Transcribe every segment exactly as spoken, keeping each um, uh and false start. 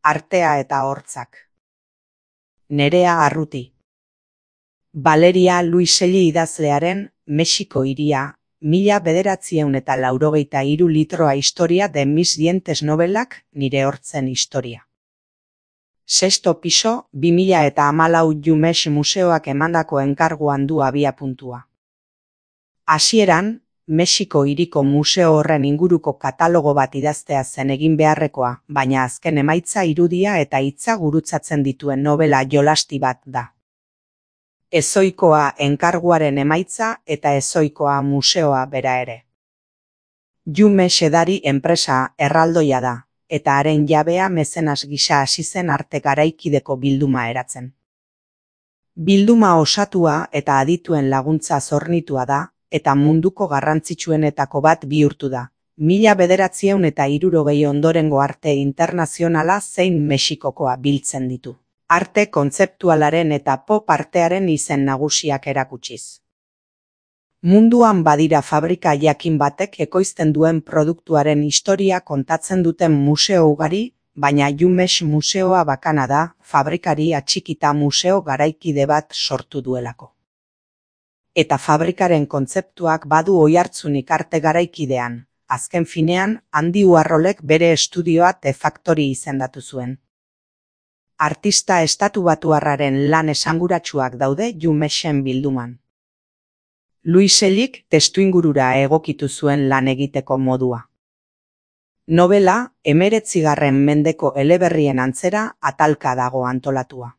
artea eta hortzak. Nerea Arruti. Valeria Luiselli idazlearen Mexiko hiria, mila bederatziehun eta laurogeita hiru litroa historia de mis dientes novelak nire hortzen historia. Sexto piso, bi mila eta hamalau Jumex museoak emandako enkarguan du abiapuntua. Hasieran, Mexiko hiriko museo horren inguruko katalogo bat idaztea zen egin beharrekoa, baina azken emaitza irudia eta hitza gurutzatzen dituen novela jolasti bat da. Ezoikoa enkarguaren emaitza eta ezoikoa museoa bera ere. Jumex edari enpresa erraldoia da, eta haren jabea mezenas gisa hasi zen arte garaikideko bilduma eratzen. Bilduma osatua eta adituen laguntza zornitua da, eta munduko garrantzitsuenetako bat bihurtu da. Mila bederatziehun eta hirurogei ondorengo arte internazionala zein Mexikokoa biltzen ditu. Arte kontzeptualaren eta pop artearen izen nagusiak erakutsiz. Munduan badira fabrika jakin batek ekoizten duen produktuaren historia kontatzen duten museo ugari, baina Jumex museoa bakana da, fabrikari atxikita museo garaikide bat sortu duelako. Eta fabrikaren kontzeptuak badu oihartzunik arte garaikidean, azken finean, Andy Warholek bere estudioa The Factory izendatu zuen. Artista estatubatuarraren lan esanguratsuak daude Jumexen bilduman. Luisellik testuingurura egokitu zuen lan egiteko modua. Novela, hemeretzigarren mendeko eleberrien antzera atalka dago antolatua.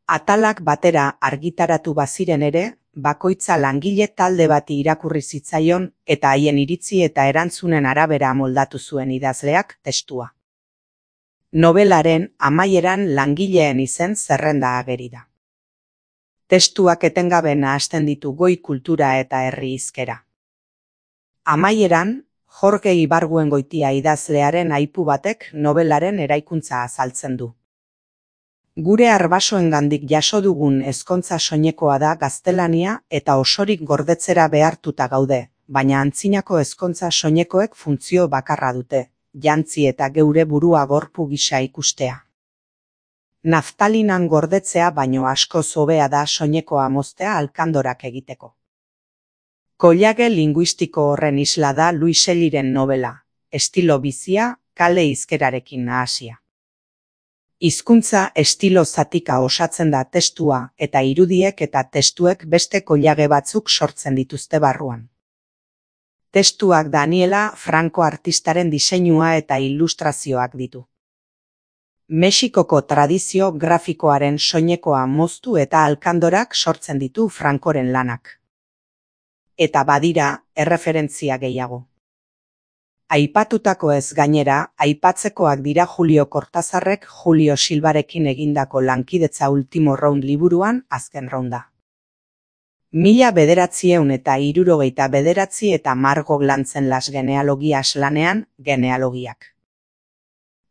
Atalak batera argitaratu baziren ere, bakoitza langile talde bati irakurri zitzaion eta haien iritzi eta erantzunen arabera moldatu zuen idazleak testua. Novelaren amaieran langileen izen zerrenda ageri da. Testuak etengabe nahasten ditu goi kultura eta herri hizkera. Amaieran, Jorge Ibargüengoitia idazlearen aipu batek novelaren eraikuntza azaltzen du. Gure arbasoengandik jaso dugun ezkontza soinekoa da gaztelania eta osorik gordetzera behartuta gaude, baina antzinako ezkontza soinekoek funtzio bakarra dute, jantzi eta geure burua gorpu gisa ikustea. Naftalinan gordetzea baino askoz hobea da soinekoa moztea alkandorak egiteko. Koilage linguistiko horren isla da Luiselliren novela, estilo bizia, kale hizkerarekin nahasia. Hizkuntza estilo zatika osatzen da testua eta irudiek eta testuek beste koilage batzuk sortzen dituzte barruan. Testuak Daniela Franco artistaren diseinua eta ilustrazioak ditu. Mexikoko tradizio grafikoaren soinekoa moztu eta alkandorak sortzen ditu Francoren lanak. Eta badira erreferentzia gehiago. Aipatutako ez gainera, aipatzekoak dira Julio Cortázarrek Julio Silvarekin egindako lankidetza Ultimo Round liburuan azken rounda. Mila bederatziehun eta hirurogeita bederatzi eta Margo Glantzen Las Genealogias lanean, genealogiak.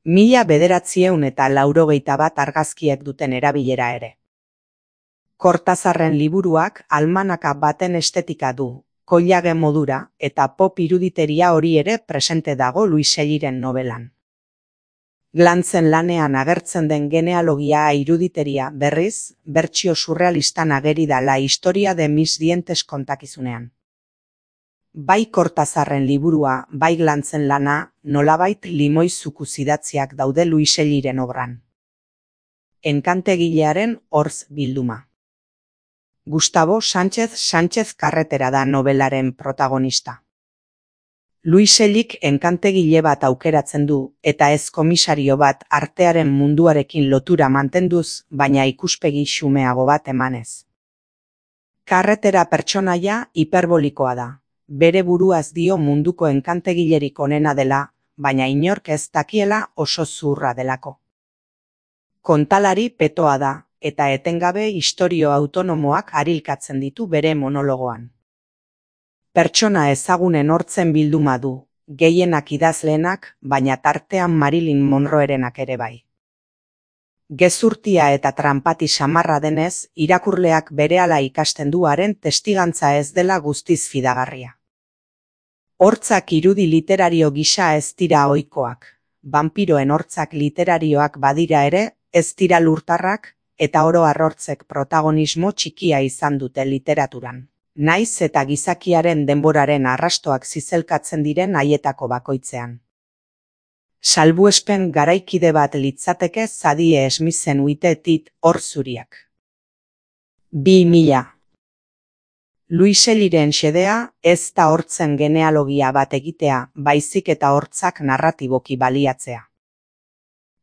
Mila bederatziehun eta laurogeita bat argazkiek duten erabilera ere. Cortázarren liburuak almanaka baten estetika du, koilage modura eta pop iruditeria hori ere presente dago Luiselliren novelan. Glantzen lanean agertzen den genealogia iruditeria berriz, bertsio surrealistan ageri da La historia de mis dientes kontakizunean. Bai Cortázarren liburua, bai Glantzen lana, nolabait limoi zukuz idatziak daude Luiselliren obran. Enkantegilearen hortz bilduma. Gustavo Sánchez Sánchez Carretera da novelaren protagonista. Luisellik enkantegile bat aukeratzen du, eta ez komisario bat artearen munduarekin lotura mantenduz, baina ikuspegi xumeago bat emanez. Carretera pertsonaia hiperbolikoa da. Bere buruaz dio munduko enkantegilerik onena dela, baina inork ez dakiela oso zuhurra delako. Kontalari petoa da, eta etengabe istorio autonomoak harilkatzen ditu bere monologoan. Pertsona ezagunen hortzen bilduma du, gehienak idazleenak, baina tartean Marilyn Monroerenak ere bai. Gezurtia eta tranpati samarra denez, irakurleak berehala ikasten du haren testigantza ez dela guztiz fidagarria. Hortzak irudi literario gisa ez dira ohikoak, banpiroen hortzak literarioak badira ere, ez dira lurtarrak, eta oro har hortzek protagonismo txikia izan dute literaturan. Naiz eta gizakiaren denboraren arrastoak zizelkatzen diren haietako bakoitzean. Salbuespen garaikide bat litzateke Zadie Smithen uitetit hor zuriak. Bi mila. Louis-Shelleyren xedea ez da hortzen genealogia bat egitea, baizik eta hortzak narratiboki baliatzea.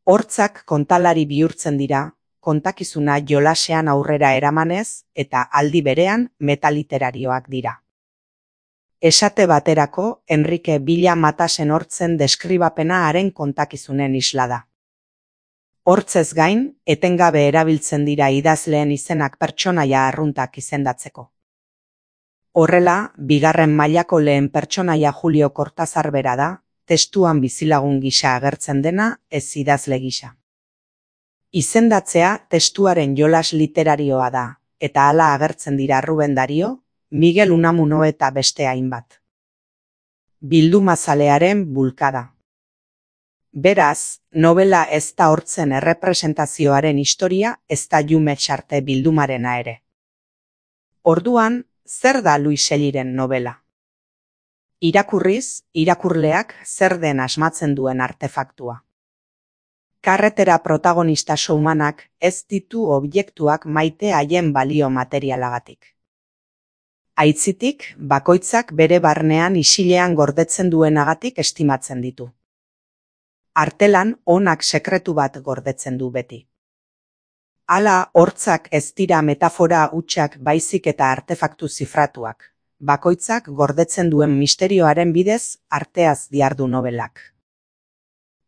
Hortzak kontalari bihurtzen dira, kontakizuna jolasean aurrera eramanez eta aldi berean metaliterarioak dira. Esate baterako, Enrique Villa Matasen hortzen deskribapena haren kontakizunen isla da. Hortzez gain, etengabe erabiltzen dira idazleen izenak pertsonaia arruntak izendatzeko. Horrela, bigarren mailako lehen pertsonaia Julio Cortázar bera da, testuan bizilagun gisa agertzen dena, ez idazle gisa. Izendatzea testuaren jolas literarioa da, eta hala agertzen dira Ruben Dario, Miguel Unamuno eta beste hainbat. Bildumazalearen bulkada. Beraz, novela ez da hortzen errepresentazioaren historia, ez da Jume Txarte bildumarena ere. Orduan, zer da Louis-Shelleyren novela? Irakurriz, irakurleak zer den asmatzen duen artefaktua. Karretera protagonista showmanak ez ditu objektuak maite haien balio materialagatik. Aitzitik, bakoitzak bere barnean isilean gordetzen duenagatik estimatzen ditu. Artelan onak sekretu bat gordetzen du beti. Hala, hortzak ez dira metafora hutsak baizik eta artefaktu zifratuak. Bakoitzak gordetzen duen misterioaren bidez arteaz diardu nobelak.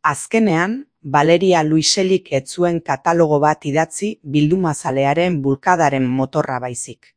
Azkenean, Valeria Louis-Shelleyk ez zuen katalogo bat idatzi bildumazalearen bulkadaren motorra baizik.